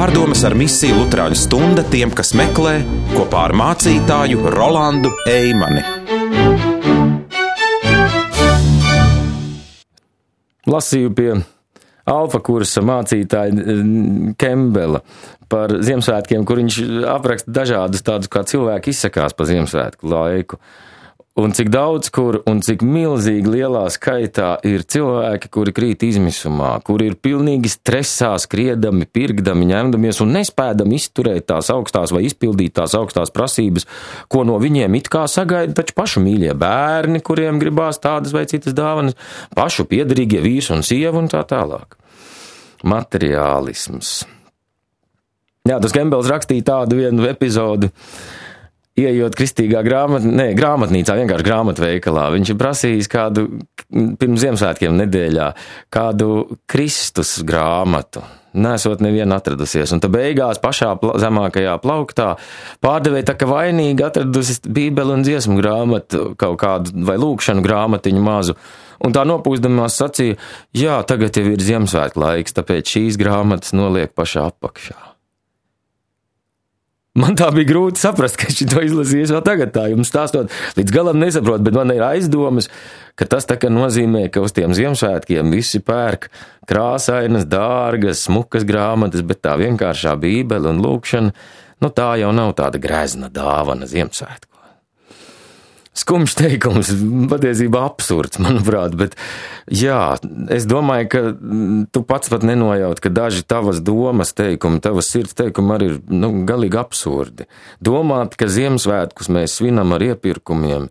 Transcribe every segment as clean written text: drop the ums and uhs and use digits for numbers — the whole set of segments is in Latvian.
Pārdomas ar misiju Luterāņu stunda tiem, kas meklē, kopā ar mācītāju Rolandu Eimani. Lasīju pie alfa kursa mācītāja Kembela par Ziemassvētkiem, kur viņš apraksta dažādus tādus, kā cilvēki izsakās pa Ziemassvētku laiku. Un cik daudz kur un cik milzīgi lielā skaitā ir cilvēki, kuri krīt izmisumā, kuri ir pilnīgi stresā, skriedami, pirkdami, ņemdamies un nespēdami izturēt tās augstās vai izpildīt tās augstās prasības, ko no viņiem it kā sagaida taču pašu mīļie bērni, kuriem gribās tādas vai citas dāvanas, pašu piederīgie vīrs un sieva un tā tālāk. Materiālisms. Jā, tas Kembels rakstīja tādu vienu epizodi, ieejot kristīgā grāmatnīcā, vienkārši grāmatveikalā. Viņš ir prasījis kādu, pirms Ziemassvētkiem nedēļā, kādu Kristus grāmatu. Nesot nevienu atradusies. Un tad beigās pašā zemākajā plauktā pārdevēja tā, ka vainīgi atradusi Bībeli un dziesmu grāmatu, kaut kādu vai lūkšanu grāmatiņu mazu. Un tā nopūsdamās sacīja, jā, tagad jau ir Ziemassvētku laiks, tāpēc šīs grāmatas noliek pašā apakšā. Man tā bija grūti saprast, ka šito izlasījies vēl tagad tā, jums stāstot, līdz galam nesaprot, bet man ir aizdomas, ka tas tā kā nozīmē, ka uz tiem Ziemassvētkiem visi pērk krāsainas, dārgas, smukas grāmatas, bet tā vienkāršā Bībele un lūkšana, nu tā jau nav tāda grezna dāvana Ziemassvētku. Skumjš teikums, patiesībā absurds, manuprāt, bet jā, es domāju, ka tu pats pat nenojaut, ka daži tavas domas teikumi, tavas sirds teikumi arī ir, galīgi absurdi. Domāt, ka Ziemassvētkus mēs svinam ar iepirkumiem,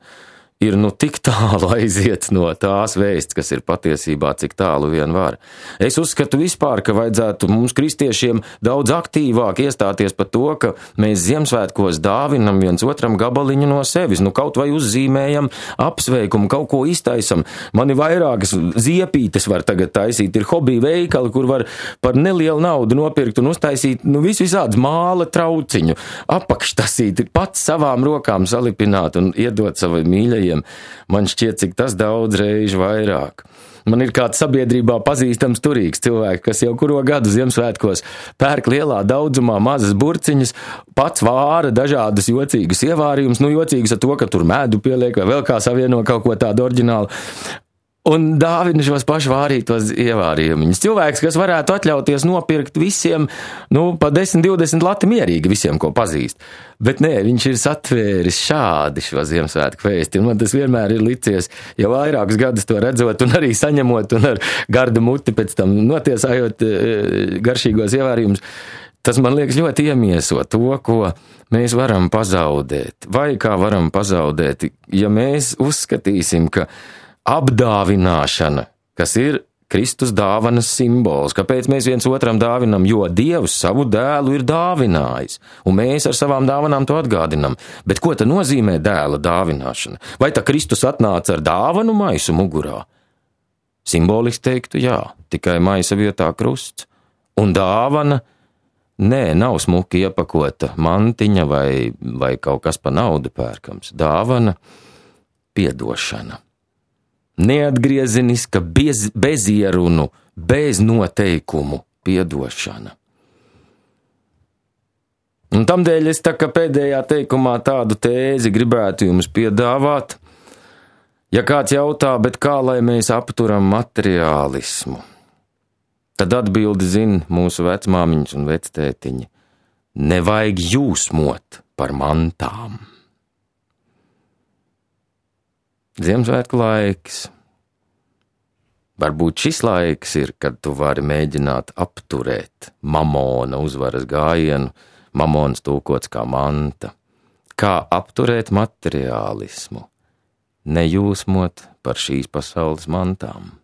ir tik tālu aiziet no tās vēsts, kas ir patiesībā, cik tālu vien var. Es uzskatu vispār, ka vajadzētu mums kristiešiem daudz aktīvāk iestāties par to, ka mēs Ziemassvētkos dāvinam viens otram gabaliņu no sevis, kaut vai uzzīmējam apsveikumu, kaut ko iztaisam. Man ir vairākas ziepītes var tagad taisīt, ir hobija veikali, kur var par nelielu naudu nopirkt un uztaisīt, visādus māla trauciņu, apakštasīt, pats savām rokām salipināt un iedot savai mīļajai. Man šķiet, cik tas daudz reižu vairāk. Man ir kāds sabiedrībā pazīstams turīgs cilvēks, kas jau kuro gadu Ziemassvētkos pērk lielā daudzumā mazas burciņas, pats vāra dažādus jocīgus ievārījumus, jocīgus ar to, ka tur medu pieliek vai vēl kā savieno kaut ko tādu oriģinālu. Un dāvina šos pašu vārītos ievārījumus. Cilvēks, kas varētu atļauties nopirkt visiem, pa 10-20 lati mierīgi visiem, ko pazīst. Bet nē, viņš ir satvēris šādi šo Ziemassvētku vēsti. Un man tas vienmēr ir licies, jau vairākus gadus to redzot un arī saņemot un ar gardu muti pēc tam notiesājot garšīgos ievārījumus. Tas man liekas ļoti iemieso to, ko mēs varam pazaudēt. Vai kā varam pazaudēt, ja mēs uzskatīsim, ka apdāvināšana, kas ir Kristus dāvanas simbols. Kāpēc mēs viens otram dāvinam? Jo Dievs savu dēlu ir dāvinājis, un mēs ar savām dāvanām to atgādinam. Bet ko tad nozīmē dēla dāvināšana? Vai tā Kristus atnāca ar dāvanu maisu mugurā? Simboliski teiktu, jā, tikai maisa vietā krusts. Un dāvana, nē, nav smuki iepakota mantiņa vai kaut kas pa naudu pērkams. Dāvana, piedošana. Neatgriezeniska, bez ierunu, bez noteikumu piedošana. Un tamdēļ es tā kā pēdējā teikumā tādu tēzi gribētu jums piedāvāt. Ja kāds jautā, bet kā lai mēs apturam materiālismu, tad atbildi zina mūsu vecmāmiņas un vectētiņi. Nevajag jūsmot par mantām. Ziemassvētku laiks. Varbūt šis laiks ir, kad tu vari mēģināt apturēt mamona uzvaras gājienu, mamons tūkots kā manta. Kā apturēt materiālismu, nejūsmot par šīs pasaules mantām.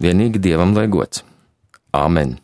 Vienīgi Dievam lai gods. Āmen.